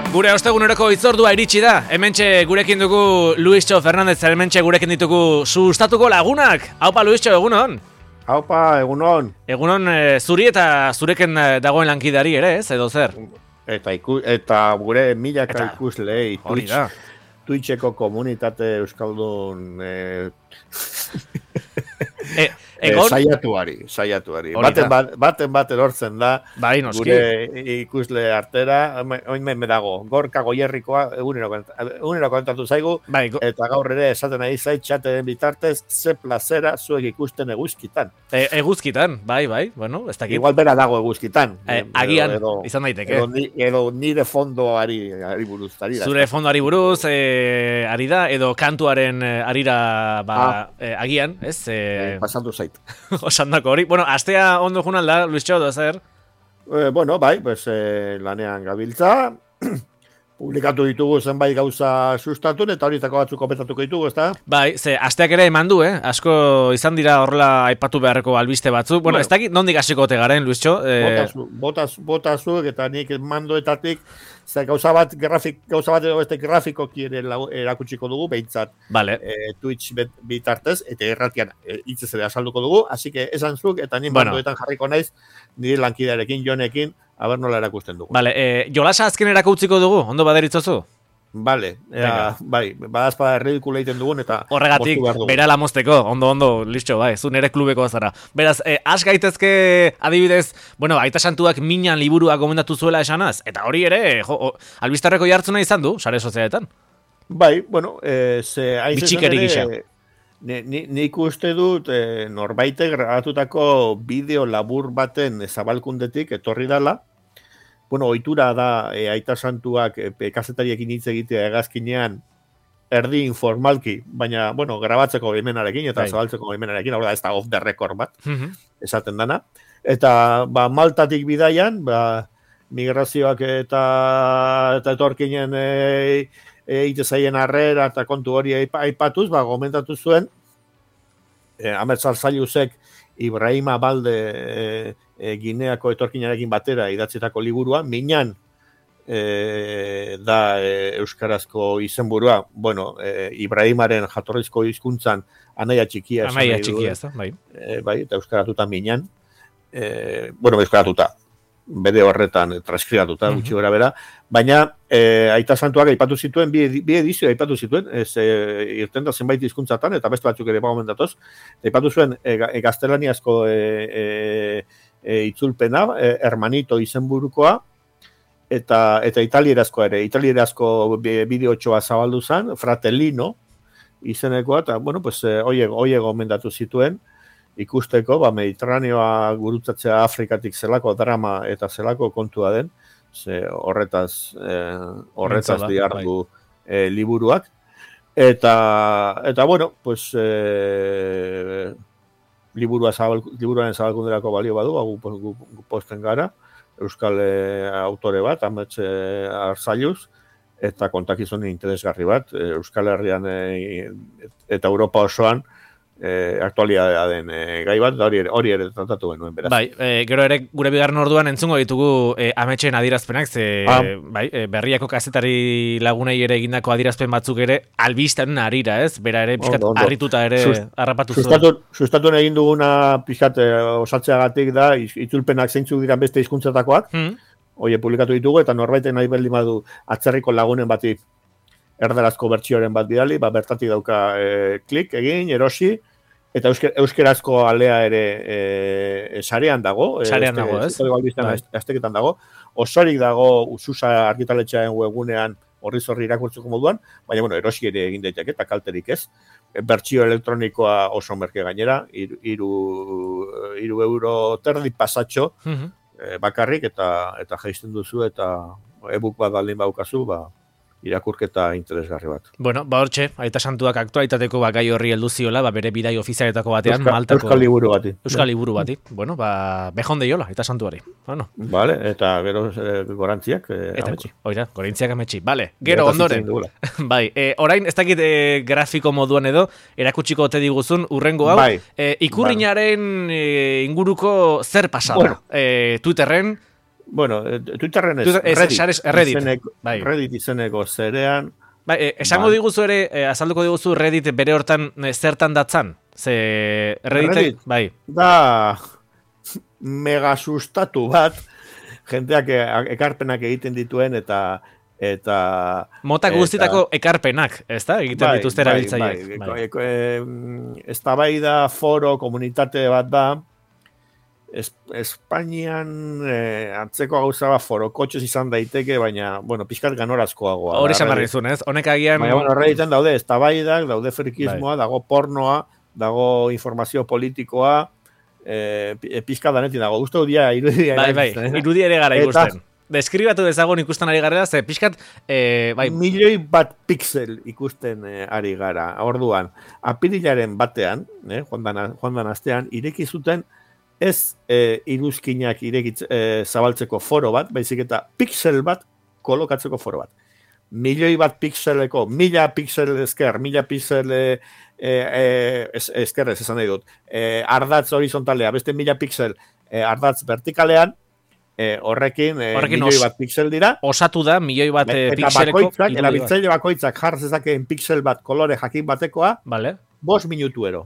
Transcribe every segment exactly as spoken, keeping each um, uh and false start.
Gure osteguneroko hitzordua iritsi da. Hementxe gurekin dugu Luistxo Fernandez, hementxe gurekin ditugu sustatuko lagunak. Haupa Luistxo, egunon. Haupa, egunon. Egunon e, zuri eta zureken dagoen lankidari ere, ez, edo zer? Eta, iku, eta gure milaka eta, ikuslei Twitch, Twitcheko komunitate euskaldun e, e, egon? Saiatuari, saiatuari. Baten bat, baten bat erortzen da, bai, noski. Gure ikusle artera, oin me dago, Gorka Goierrikoa egunero kontatu zaigu, bai, go... eta gaur ere esaten ari zait txateren bitartez, ze plazera zuek ikusten eguzkitan. E, eguzkitan, bai, bai, bueno, ez dakit. Igual bera dago eguzkitan. E, agian, edo, izan daiteke. Edo, ni, edo nire fondoari ari buruz. Ari Zure fondoari buruz, e, ari da, edo kantuaren arira, ba, ah. e, agian, ez? E, e, pasatu zait. Osandako hori. Bueno, astea ondo jun alda, Luistxo, da zer? Eh, bueno, bai, pues, eh, lanean gabiltza. Publikatu ditugu zenbait gauza sustatun, eta horietako batzuk kopetatuko ditugu, ezta? Bai, ze, asteak ere eman du, eh? Asko izan dira horrela aipatu beharreko albiste batzuk. Bueno, bueno. Ez dakit nondik hasiko ote garen, Luistxo? Eh... Botazu, botazu, eta nik mandoetatik, ze gauza bat, grafik, gauza bat edo beste grafikoki ere erakutsiko dugu, behintzat vale. eh, Twitch bitartez, eta erratian eh, hitzez ere asalduko dugu, así que esan zuk, eta nik bueno. mandoetan jarriko naiz, nire lankidearekin, Jonekin, aber nola erakusten dugu. Vale, eh, jolasa azken erakutziko dugu, ondo baderitzozu? Vale, ea, bai, badazpada erredikula egiten dugun eta horregatik, bera lamosteko, ondo, ondo, listo, bai, zu nere klubeko zara. Beraz, eh, has gaitezke adibidez, bueno, Aita Santuak minan liburua gomendatu zuela esanaz, eta hori ere, jo, albistarreko jartzuna izan du, sare sozialetan. Bai, bueno, eh, ze... Bitxikeri gisa. Nik uste dut eh, norbaite grabatutako bideo labur baten zabalkundetik etorri dala. Bueno, ohitura da e, Aita Santuak e, kazetariekin hitz egitea hegazkinean erdi informalki, baina, bueno, grabatzeko baimenarekin eta zabaltzeko baimenarekin, hau da, ez da off the record bat, mm-hmm. esaten dana. Eta, ba, Maltatik bidaian, ba, migrazioak eta, eta etorkinen e, e, itezaien arrera eta kontu hori aipatuz, ba, gomentatu zuen, e, Amertzal Zailuzek Ibrahima Balde e, e, Gineako etorkinarekin batera idatzitako liburua, minan e, da e, euskarazko izenburua, bueno, e, Ibrahimaren jatorrizko hizkuntzan anaia txikia. Anaia txikia, ez da, bai. E, bai, eta euskaratuta minan, e, bueno, euskaratuta, bere horretan transkribatuta, uh-huh. gutxi gora bera, baina e, Aita Santuak aipatu zituen, bi, bi edizio aipatu zituen, ez e, irten da zenbait hizkuntzatan eta beste batzuk ere bagomendatoz, aipatu zuen e, e, gaztelaniazko e, e, e, itzulpena, e, Hermanito izenburukoa, eta eta italierazko ere, italierazko bideotxoa zabaldu zen, Fratellino izenekoa, eta, bueno, pues, oie, oie gomendatu zituen, ikusteko, ba, Mediterraneoa gurutzatzea Afrikatik zelako drama eta zelako kontua den, ze horretaz, eh, horretaz diardu eh, liburuak. Eta, eta bueno, pues, eh, liburua zabal, liburuaren zabalkunderako balio badu, gu, gu, gu posten gara, euskal eh, autore bat, Amets eh, Arzailuz, eta kontakizunen interesgarri bat, eh, Euskal Herrian eh, eta Europa osoan, Eh, aktualidadea den eh, gai bat, hori ere, hori ere tratatu genuen, beraz. Bai, eh, gero ere gure bigarren orduan entzungo ditugu eh, ametxen adierazpenak, ze ah. bai, eh, berriako kazetari lagunei ere egindako adierazpen batzuk ere albistaren arira, ez? Bera ere pixkat harrituta ere Sust, harrapatu zuen. Sustatu egin duguna pixkat eh, osatzeagatik da, itzulpenak zeintzuk dira beste hizkuntzatakoak, hmm. Oie, publikatu ditugu, eta norbaiten nahi berdin badu atzerriko lagunen bati erdarazko bertsioaren bat bidali, ba, bertatik dauka e, klik egin, erosi, eta eusker, euskerazko alea ere e, sarean dago. Sarean dago, ez? Azteketan dago. Osorik dago Ususa argitaletxearen webunean horri zorri irakurtzeko moduan, baina, bueno, erosi ere egin daiteke, eta kalterik ez. Bertsio elektronikoa oso merke gainera, iru, iru, iru euro terdi pasatxo uh-huh. e, bakarrik, eta eta jaisten duzu, eta e-book bat baldin baukazu, ba, irakurketa interesgarri bat. Bueno, ba hortxe, Aita Santuak aktualitateko ba, gai horri heldu ziola, ba, bere bidai ofizialetako batean, Euskal, Maltako... Euskal liburu bati. Euskal liburu bati. Bueno, ba, bejonde jola, Aita Santuari. Bueno. Vale, eta gero eh, gorantziak eh, eta, ametsi. Oira, gorantziak ametsi. Vale, gero ondoren. Bai, eh, orain, ez dakit eh, grafiko moduan edo, erakutsiko ote diguzun, urrengo hau, bai. eh, ikurrinaren eh, inguruko zer pasada. Bueno. Eh, Twitterren, bueno, Twitterren ez, Twitter, ez, Reddit, sares- Reddit, izeneko, bai. Reddit izeneko zerean, Bai, eh, esango Bai. diguzu ere, eh, azalduko diguzu Reddit bere hortan eh, zertan datzan? Ze Reddit, Reddit? bai. da mega sustatu bat, jenteak e- ekarpenak egiten dituen eta eta Mota eta- guztitako ekarpenak, ezta? Egiten bai, dituzte bai, erabiltzaileek. bai, Bai. eko- e- eztabaida foro komunitate bat da. Es, Espainian eh, antzeko gauza bat forokotxez izan daiteke, baina, bueno, pixkat ganorazkoagoa. Hori da, esan behar Reddit. dizun, ez? Honek agian... Baina, bueno, Redditen daude eztabaidak, daude frikismoa, Bai. dago pornoa, dago informazio politikoa, eh, pi- pixka danetik dago. Uste dia irudia. Bai, bai, erabiltzen, eh? irudi ere gara Eta- ikusten. Deskribatu dezagun ikusten ari garela, ze pixkat, eh, bai, Milioi bat pixel ikusten eh, ari gara. Orduan, apirilaren batean, eh, joan dan, joan dan astean, ireki zuten ez eh, iruzkinak irekitz, eh, zabaltzeko foro bat, baizik eta pixel bat kolokatzeko foro bat. Milioi bat pixeleko, mila pixel esker, mila pixel eh, eh, es, esker ez esan nahi dut, eh, ardatz horizontalea, beste mila pixel eh, ardatz vertikalean, eh, horrekin, eh, Horrekin milioi os- bat pixel dira, osatu da milioi bat eh, eta pixeleko... bakoitzak, irudi bat. erabiltzaile bakoitzak jar zezakeen pixel bat kolore jakin batekoa, Vale. bost minutuero.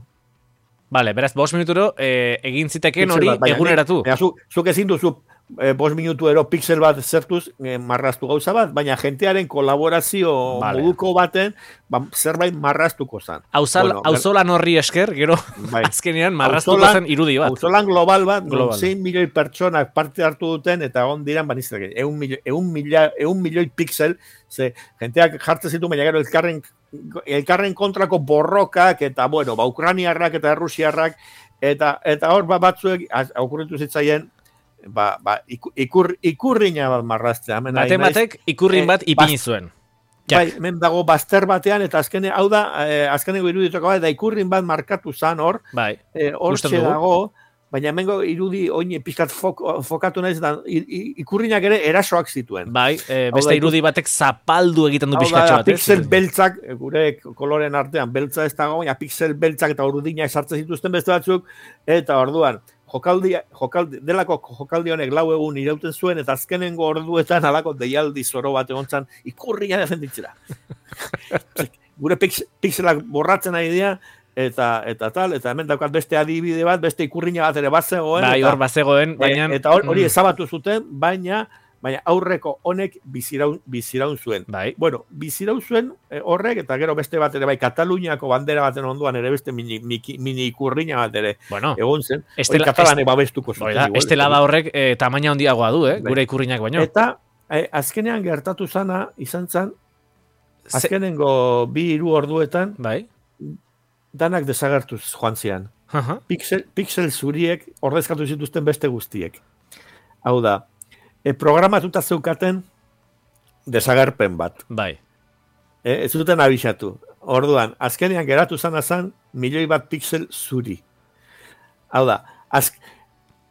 Vale, beraz, bost minuturo eh, egin ziteken Pixel hori bat, baina eguneratu. nik- baina zu, zuk ezin duzu eh, bost minutuero pixel bat zertuz eh, marraztu gauza bat, baina jentearen kolaborazio Vale. moduko baten ba, zerbait marraztuko zen. Auzal, Bueno, auzolan horri esker, gero, Bai. azkenean marraztuko Auzolan- zen irudi bat. Auzolan global bat, Global. non zein milioi pertsonak parte hartu duten, eta on diran banizak, eun milioi, eun milioi, eun milioi pixel, ze jenteak jartzen zitu, baina gero elkarren, elkarren kontrako borrokak, eta bueno, ba, ukraniarrak eta errusiarrak, eta eta hor ba, batzuek az- okurritu zitzaien, ba, ba, iku- ikur, ikurriña bat marraztea. Hemen Baten ari naiz. batek ikurrin eh, bat ipini zuen. Jak. Bai, hemen dago bazter batean, eta azkene, hau da, eh, azkeneko iruditoko bat, da ikurrin bat markatu zan hor, Bai, eh, Ikusten hortxe dugu. dago, baina hemengo irudi oin pixkat fok, fokatu naiz, da, i- i- ikurrinak ere erasoak zituen. bai, eh, Hau beste da, irudi batek zapaldu egiten du Hau da, pixkatxo bat, ez? pixel beltzak, eh, gure koloren artean, beltza ez dago, baina pixel beltzak eta urdinak sartzen zituzten beste batzuk, eta orduan, jokaldi, jokaldi, delako jokaldi honek lau egun irauten zuen, eta azkenengo orduetan alako deialdi zoro bat egon zan, ikurria defenditzera. Gure pix, pixelak borratzen ari dira, eta eta tal, eta hemen daukat beste adibide bat, beste ikurriña bat ere bat zegoen, Bai, eta, hor bazegoen, baina... e, eta hor- hori mm, ezabatu zuten, baina baina aurreko honek biziraun, biziraun zuen. Bai, Bueno, biziraun zuen eh, horrek, eta gero beste bat ere, bai, Kataluniako bandera baten onduan ere beste mini, mini, mini ikurriña bat ere bueno, egon zen. Estela- Hori katalanek babestuko hori zuten. da, igual. estelada horrek eh, tamaina handiagoa du, eh? Bai. Gure ikurrinak baino. Eta eh, azkenean gertatu zana izan zen, Ze- azkenengo bi hiru orduetan, Bai, danak desagertuz joan zian. aha, Pixel, pixel zuriek ordezkatu zituzten beste guztiek. Hau da, e, programatuta zeukaten desagerpen bat. bai. E, ez zuten abisatu. Orduan, azkenean geratu zana zan, milioi bat pixel zuri. Hau da, az,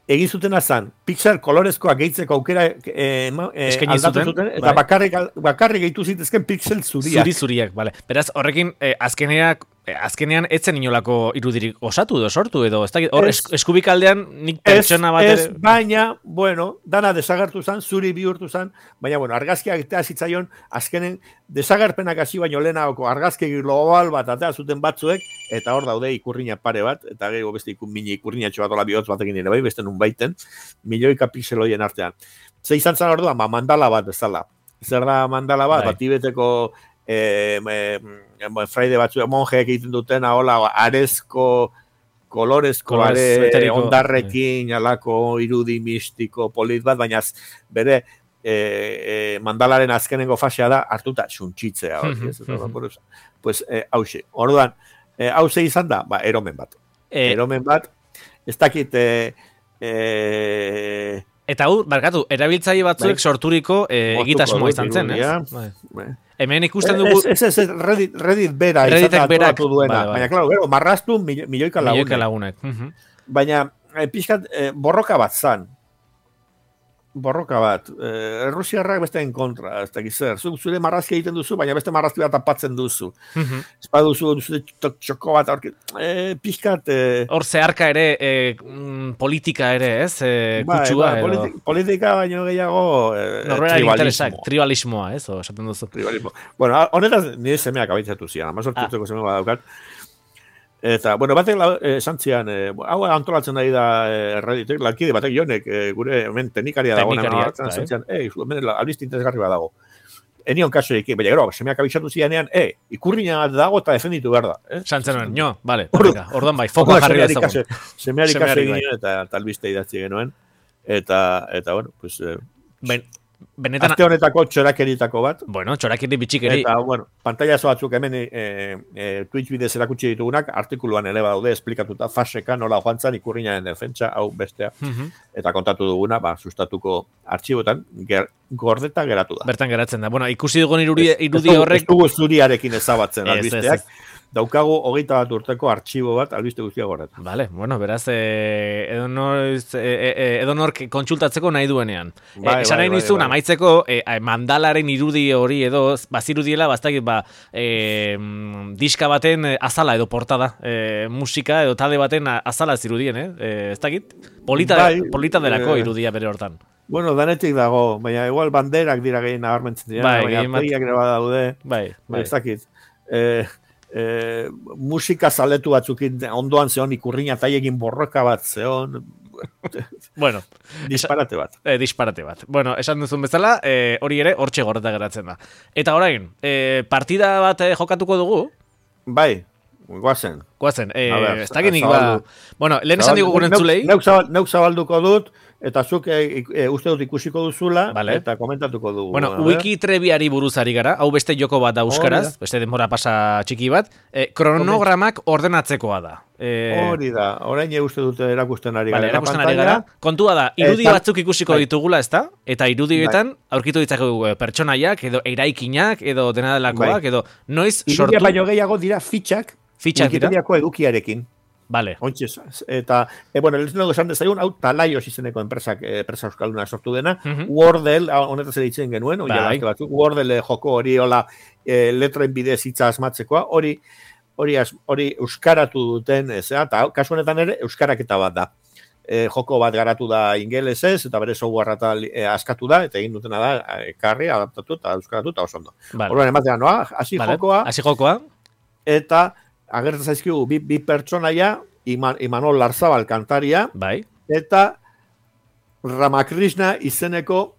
egin zuten azan, pixel kolorezkoak gehitzeko aukera e, ema- e, Eskaini aldatu zuten, zuten, eta bai. bakarrik, bakarrik gehitu zitezken pixel zuriak. Zuri zuriak, bale. Beraz, horrekin, eh, azkeneak, eh, azkenean etzen inolako irudirik osatu edo sortu edo, ez dakit, hor Ez. es, eskubikaldean nik Ez, pertsona bat ez, ere... baina, bueno, dana desagertu zan, zuri bihurtu zan, baina, bueno, argazkiak etea zitzaion, azkenen desagerpenak hasi baino lehenagoko argazki global bat atea zuten batzuek, eta hor daude ikurriña pare bat, eta gero beste ikur, mini ikurriñatxo bat ola bihotz batekin ere bai, beste nun baiten, milioika pixel horien artean. Ze izan zan orduan, ba, mandala bat bezala. Zer da mandala bat, Bai. bat tibeteko eh, eh, fraide batzu, monjeek egiten dutena, hola, arezko, kolorezko, Kolorez are, eteriko, ondarrekin, alako irudi mistiko, polit bat, baina az- bere e, e, mandalaren azkenengo fasea da, hartuta txuntxitzea. hori, ez, eta, buruz. Pues, e, hause, orduan, e, hause izan da, ba, eromen bat. Eh, Eromen bat, ez dakit, e, e, eta hau, barkatu, erabiltzaile batzuek Bai. sorturiko eh, Moztuko egitasmoa dut izan zen, ez? irudia. Bai. Bai. Hemen ikusten dugu... Ez, ez, ez, Reddit, Reddit bera, Redditek izan da berak, antolatu duena. bai, bai. Baina, klaro, gero, marraztu mil- milioika lagunek. Milioika lagunek. Mhm. Baina, e, pixkat, e, borroka bat zan. borroka bat. Eh, Errusiarrak besteen kontra, ez dakiz zer. Zuk zure marrazki egiten duzu, baina beste marrazki bat tapatzen duzu. Mhm. Ez baduzu, zure txoko bat, aurki, eh, pixkat... Eh, Hor zeharka ere, eh, mm, politika ere, ez? Eh, bai, kutsua bai, edo. politika, politika baino gehiago eh, Norberaren interesak, tribalismo. tribalismoa, ez? O, esaten duzu. Tribalismo. Bueno, honetaz nire semeak abaitzatu zian, amazortzi Ah. urteko seme bat daukat. Eta, bueno, batek la- eh, esan zian, eh, hau antolatzen nahi da eh, erraditek, lankide batek jonek, eh, gure hemen teknikaria dago, Teknikariak, esan bai. zian, eh, hemen albiste interesgarri bat dago. Enion kaso ekin, baina gero, semeak abaitzatu zianean, eh, ikurriña dago eta defenditu behar da. Eh? Santzen nuen, jo, bale, Ordu- venga, orduan bai, fokoa jarri Semeari dezagun. kaso- Semeari kaso Semeari egin bai. nion eta, eta albiste idatzi genuen. Eta, eta bueno, pues... Eh, Ben, benetan, Aste honetako txorakeritako bat. bueno, txorakiri bitxikeri. Eta, bueno, pantailazo batzuk hemen e, e, Twitch bidez erakutsi ditugunak, artikuluan ere badaude esplikatuta faseka nola joan zan ikurriñaren defentsa, hau bestea, Mhm. eta kontatu duguna, ba, sustatuko artxibotan, ger, gordeta geratu da. Bertan geratzen da. Bueno, ikusi dugun irudi, Ez- irudi ez dugu- horrek... Ez dugu zuriarekin ezabatzen Ez, ez, albisteak, ez. daukagu hogeita bat urteko artxibo bat albiste guztia gorretan. Vale, bueno, beraz, eh, edonork eh, eh, edonork kontsultatzeko nahi duenean. Bai, eh, esan bai, nahi bai, nizun, bai. amaitzeko, eh, mandalaren irudi hori edo, bazirudiela, bastakit, ba, eh, mm, diska baten eh, azala edo portada, eh, musika edo talde baten a- azala zirudien, eh? eh ez dakit? Polita, Bai, polita delako eh, irudia bere hortan. Bueno, danetik dago, baina igual banderak dira gehien nabarmentzen dira, Bai, baina gehien bat- artegiak ere badaude. Bai, bai. Ez dakit. Eh, eh, musika zaletu batzukin ondoan zeon ikurriña taiekin borroka bat zeon, Bueno, disparate bat. eh, disparate bat. Bueno, esan duzun bezala, eh, hori ere hortxe gorreta geratzen da. Eta orain, eh, partida bat eh, jokatuko dugu, Bai, guazen. guazen, eh, A ber, ez dakit nik ba... zabaldu. Bueno, lehen esan digu gure entzulei, Neuk zabal- neuk zabalduko dut, eta zuk e, e, uste dut ikusiko duzula, Vale. eta komentatuko dugu. bueno, A ber. wiki trebiari buruz ari gara, hau beste joko bat da euskaraz, Hori da. beste denbora pasa txiki bat, eh, kronogramak ordenatzekoa da. Eh, Hori da, orain uste dute erakusten ari Vale, gara. erakusten ari gara. Kontua da, irudi Eta- batzuk ikusiko bai. ditugula, ezta? Eta irudietan aurkitu ditzakegu eh, pertsonaiak, edo eraikinak, edo dena delakoak, Bai. edo noiz Irudia sortu... baino gehiago dira fitxak, Fitxak dira? Wikipediako edukiarekin. Vale, Ontxez, eta, e, bueno, lehenago esan dezagun, hau Talaios izeneko enpresak, eh, enpresa euskalduna sortu dena, Mhm. Wordle, hau, honetaz ere ditzen genuen, Bai. bai. batzuk, Wordle joko hori, hola, e, letren bidez hitza asmatzekoa, hori, hori, as- hori euskaratu duten, ez, eta hau, kasu honetan ere, euskaraketa bat da. E, joko bat garatu da ingelesez, eta bere software eta e, askatu da, eta egin dutena da, ekarri, adaptatu, eta euskaratu, eta oso ondo. vale. Orduan, ematea noa, hasi Vale. jokoa, Hasi jokoa, eta agertzen zaizkigu bi, bi pertsonaia, Iman, Imanol Larzabal kantaria, bai. eta Ramakrishna izeneko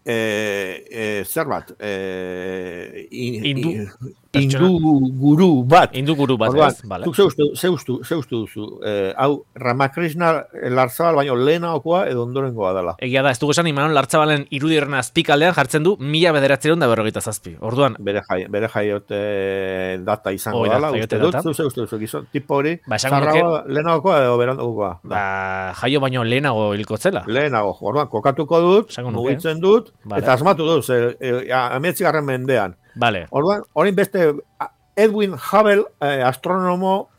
e, e, zer bat, e, in, Hindu in- pertsona. hindu guru bat. Indu guru bat, Orduan, ez? Vale. zuk zeustu, zeustu, zeustu duzu, e, hau Ramakrishna Larzabal baino lehenagokoa edo ondorengoa dela. Egia da, ez dugu esan Imanon Lartzabalen irudi horren azpikaldean jartzen du mila bederatzeron da berrogeita zazpi. Orduan, Bere, jai, bere jaiote data izango Hoi da, dela, jaiote uste dut, data. zeu zeustu duzu, gizon, tipo hori, Ba, esango zarragoa, lehenagokoa edo berandukoa. Da. ba, jaio baino lehenago hilko zela. Lehenago, orduan, kokatuko dut, Esango nuke. mugitzen dut, Vale. eta asmatu dut, ze, e, ametzigarren mendean. Vale, Orduan, orain beste a- Edwin Hubble, eh, astronomo,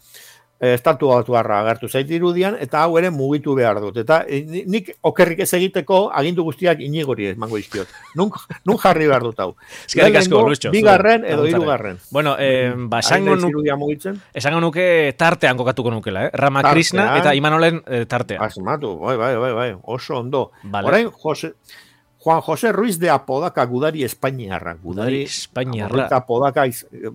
eh, estatu batuarra agertu zait irudian, eta hau ere mugitu behar dut. Eta eh, ni- nik okerrik ez egiteko agindu guztiak inigori emango izkiot. Nun, nun jarri behar dut hau. eskerrik asko, Lehenengo, Lucho. Bigarren zure edo laguntzaren. hirugarren. Bueno, eh, ba, Hain esango naiz nu- irudia mugitzen. esango nuke tartean kokatuko nukela, eh? Ramakrishna Tartean. eta Imanolen eh, tartean. Asmatu, bai, bai, bai, bai, oso ondo. Vale. Orain, Jose, Juan José Ruiz de Apodaca, gudari Espainiarra. Gudari Espainiarra. Amorrita Apodaca, iz, eh,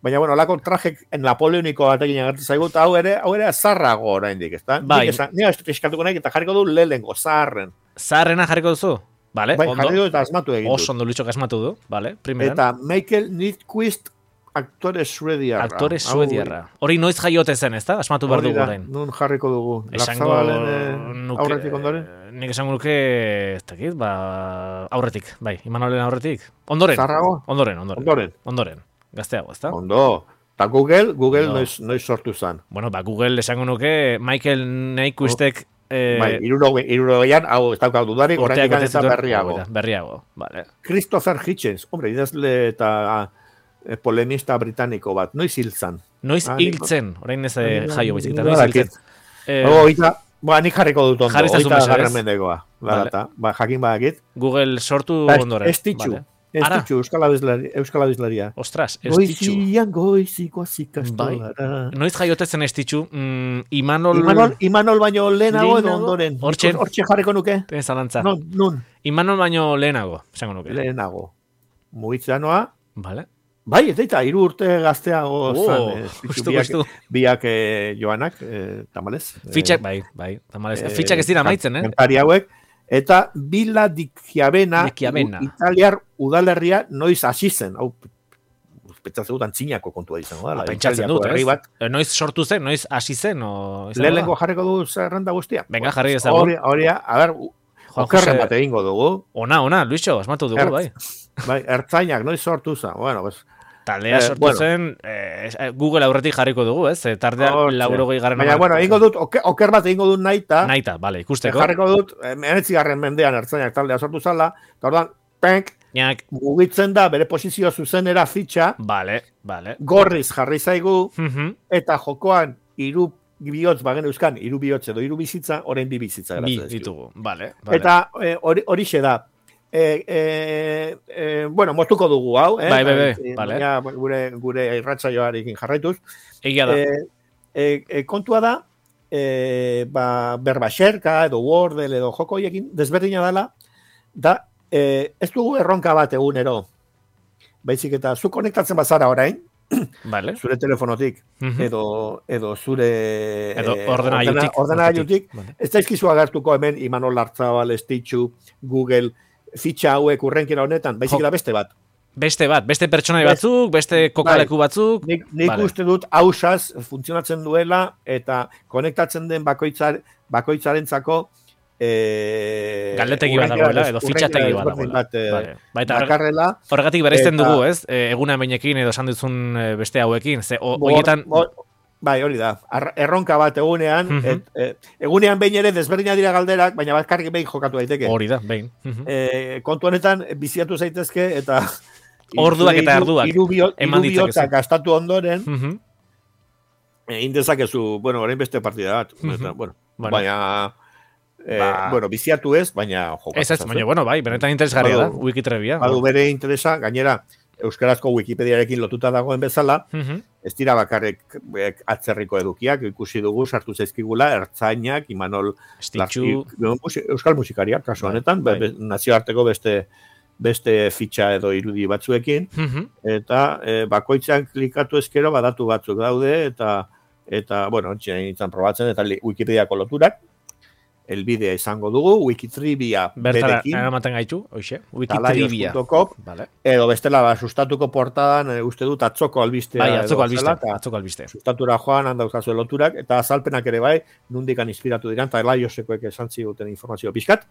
baina, bueno, lako trajek napoleoniko batekin agertu zaigu, eta hau ere, hau ere zarrago oraindik, ezta? Bai. Nik esan, nire eskatuko nahi, eta jarriko du lehengo, zaharren. Zaharrena jarriko duzu? Vale, Bai, ondo. jarri du eta asmatu egin Oso dut. ondo Lucho asmatu du, vale, primeran. Eta Michael Nitquist, aktore suediarra. Aktore Hau, suediarra. Hori noiz jaiote zen, ezta? Asmatu behar hori dugu da, orain. nun jarriko dugu. Esango Larzabalen, eh, nuke, aurretik ondoren? nik esango nuke, ez dakit, ba, aurretik, bai, Imanolen aurretik. Ondoren, Zarrago? ondoren, ondoren, Ondoren. ondoren, gazteago, ezta? Ondo. Eta Google, Google Ondo. noiz, noiz sortu zen. Bueno, ba, Google esango nuke, Michael Nyquistek, eh, Bai, irurogeian, hau, ez daukau dudari, urteak oraindik bete eta zituen, berriago. hori da, berriago, vale. Christopher Hitchens, hombre, idazle eta eh, polemista britaniko bat, noiz hil zan. Noiz Ah, hiltzen, orain ez eh, nik- jaio baizik, eta nik noiz badakit. hiltzen. Eh, Hau, oita, ba, nik jarriko dut ondo, Jarri ezazu oita mesedez. garren mendekoa. la data, ba, jakin badakit. Google sortu Ba, ondoren. Estitxu, Vale. Estitxu, Euskal Abeslari, Euskal Abeslaria. Ostras, Estitxu. Goizian goiziko azikastolara. Bai. Noiz jaiotezen Estitxu? Mm, Imanol... Imanol, Imanol baino lehenago edo Lehenago? ondoren. Hortxe. Hortxe jarriko nuke. Ten zalantza. Non, nun, Imanol baino lehenago, esango nuke. lehenago. Mugitzanoa, Vale. bai, ez daita, hiru urte gazteago Oh, zan, eh, Estitxu, justu, biak, justu. biak eh, joanak, eh, tamalez. Fitxak, bai, bai. Tamalez. Eh, Fitxak ez dira maitzen, eh? kantari hauek, eta Villa di Chiavena, Di Chiavena. italiar udalerria noiz hasi zen. Hau, pentsatzen dut antzinako kontua izango da. Pentsatzen dut, ez? Eh, Noiz sortu zen, noiz hasi zen, o... izango da? Lehenengo jarriko du zerrenda guztia. Venga, jarri ezagun. Hori, hori, a ber, Juan okerren Jose- bat egingo dugu. Ona, ona, Luixo, asmatu dugu, Ertz- bai. Bai, ertzainak noiz sortu zen. Bueno, pues, Taldea Eh, sortu bueno. zen, eh, Google aurretik jarriko dugu, ez? Eh, Tardea hortxe. laurogei garren Baina, bueno, egingo dut, oker, oker bat egingo dut naita. Naita, bale, ikusteko. Jarriko dut, emenetzigarren mendean ertzainak taldea sortu zala, eta orduan, penk, Ñak, mugitzen da bere posizio zuzenera fitxa, bale, bale. gorriz jarri zaigu, Mhm. eta jokoan hiru bihotz bagen euskan, hiru bihotz edo hiru bizitza, orain bi bizitza Bi geratzen dizkigu. ditugu, bale. bale. Eta eh, hori horixe da. E, e, e, bueno, moztuko dugu hau, eh? Bai, bai, bai, Eh, vale. baina gure, gure irratsaioarekin jarraituz. Egia da. E, e, e, kontua da, e, ba, berbaxerka edo Wordle edo joko horiekin desberdina dela, da, e, ez dugu erronka bat egunero. Baizik eta zu konektatzen bazara orain, Vale. zure telefonotik, Mhm. edo, edo zure Edo eh, ordenagailutik. ordenagailutik, Vale. ez daizkizu agertuko hemen Imanol Lartzabal, Estitxu, Google, fitxa hauek urrenkera honetan, baizik Jo. eta beste bat. Beste bat, beste pertsonai Best- batzuk, beste kokaleku batzuk. Nik, nik Vale. uste dut hausaz funtzionatzen duela eta konektatzen den bakoitzar, bakoitzarentzako e, Galdetegi bat urrenkera dagoela, des- edo urrenkera fitxategi bat desberdin dagoela. Bat, eh, Vale. Baita horrek- dakarrela. horregatik bereizten Eta- dugu, ez? E, eguna beinekin edo esan duzun eh, beste hauekin. Ze, o, Bo- horietan... bo- Bai, hori da. Ar- Erronka bat egunean, Mhm. et, e, egunean behin ere desberdinak dira galderak, baina bakarrik behin jokatu daiteke. Hori da, behin. Mhm. E, kontu honetan biziatu zaitezke eta Orduak eta hiru- erduak hiru bio- eman hiru bihotzak ditzakezu. gastatu ondoren, Mhm. egin dezakezu, bueno, orain beste partida bat. Mhm. Eta, bueno, Vale. baina, eh, Ba- bueno, biziatu ez, baina jokatu. Ez ez, baina, bueno, bai, benetan interesgarria da, Badu- Wikitrebia. Badu bere interesa, gainera, euskarazko Wikipediarekin lotuta dagoen bezala, Mhm. ez dira bakarrik eh, atzerriko edukiak, ikusi dugu, sartu zaizkigula, ertzainak, Imanol Estitxu, Larti- euskal musikariak, kasu Bai, honetan, be- bai. be- nazioarteko beste beste fitxa edo irudi batzuekin, Mhm. eta e, bakoitzan klikatu ezkero badatu batzuk daude, eta, eta bueno, txen nintzen probatzen, eta li- Wikipediako loturak, elbidea izango dugu, Wikitrivia Bertara berekin, eramaten gaitu, hoxe, Wikitrivia. talaios punto com, Vale. edo bestela, ba, sustatuko portadan, e, uste dut, atzoko albistea. Bai, edo atzoko albiste, zela, eta atzoko albiste. sustatura joan, handauzkazu loturak, eta azalpenak ere bai, nundikan inspiratu diran, eta laiosekoek esan ziguten informazio pixkat,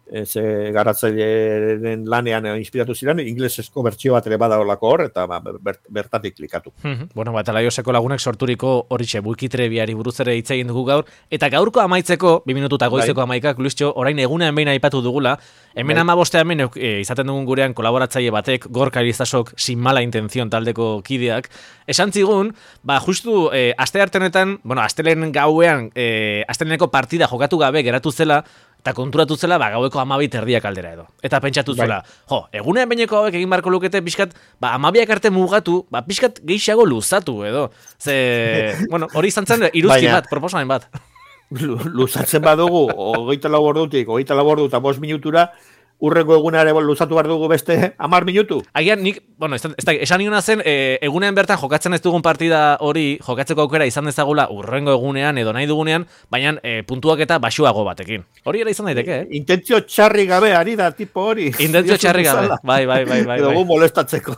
ez garatzailearen lanean eh, inspiratu ziren, inglesezko bertsio bat ere badaolako hor, eta ba, ber, bertatik klikatu. Mhm. Bueno, ba, eta laioseko lagunek sorturiko horixe Wikitrebiari buruz ere hitz egin dugu gaur, eta gaurko amaitzeko, bi minututa goizeko Bai. amaikak, Luisio, orain egunean behin aipatu dugula, hemen Bai. amaboste hemen e, izaten dugun gurean kolaboratzaile batek, Gorka Elizasok, sin mala intención taldeko kideak, esan zigun, ba, justu, e, aste hartenetan, bueno, astelen gauean, e, asteleneko partida jokatu gabe geratu zela, eta konturatu zela, ba, gaueko amabit erdiak aldera edo. Eta pentsatu Bai. zuela, jo, egunean baineko hauek egin barko lukete pixkat, ba, amabiak arte mugatu, ba, pixkat gehiago luzatu edo. Ze, bueno, hori izan zen iruzki Baina- bat, proposamen bat. Lu- Luzatzen badugu, hogeita lau ordutik, hogeita lau ordu eta bost minutura, urrengo egunare luzatu behar dugu beste hamar minutu. Agian nik, bueno, ez, da- ez da, esan niona zen, e, egunean bertan jokatzen ez dugun partida hori, jokatzeko aukera izan dezagula urrengo egunean edo nahi dugunean, baina e, puntuak eta baxuago batekin. Hori ere izan daiteke, eh? Intentzio txarri gabe ari da tipo hori. Intentzio txarri gabe, Bezala. bai, bai, bai, bai. Edo bai. gu molestatzeko.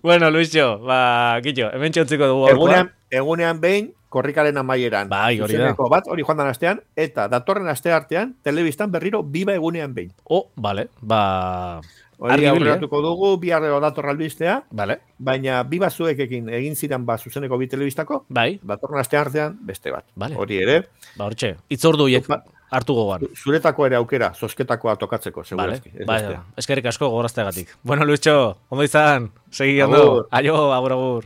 Bueno, Luisio, ba, kitxo, hemen txontziko dugu gaurkoa. egunean, egunean behin, korrikaren amaieran. Bai, hori da. Zuzeneko bat, hori joan dan astean, eta datorren aste artean, telebistan berriro biba egunean behin. Oh, vale, ba... Hori Argi ibili, eh? aurreratuko dugu, bihar edo dator albistea, Vale, baina bi bazuekekin egin ziren ba zuzeneko bi telebistako, bai, datorren aste artean beste bat. Vale. Hori ere, ba, hortxe, itzordu hiek Ba- hartu gogoan. zuretako ere aukera, zozketakoa tokatzeko, Vale, segurazki. ez bai, bestea. eskerrik asko gogorazteagatik. Bueno, Luisio, ondo izan, segi ondo, Agur. aio, agur, agur.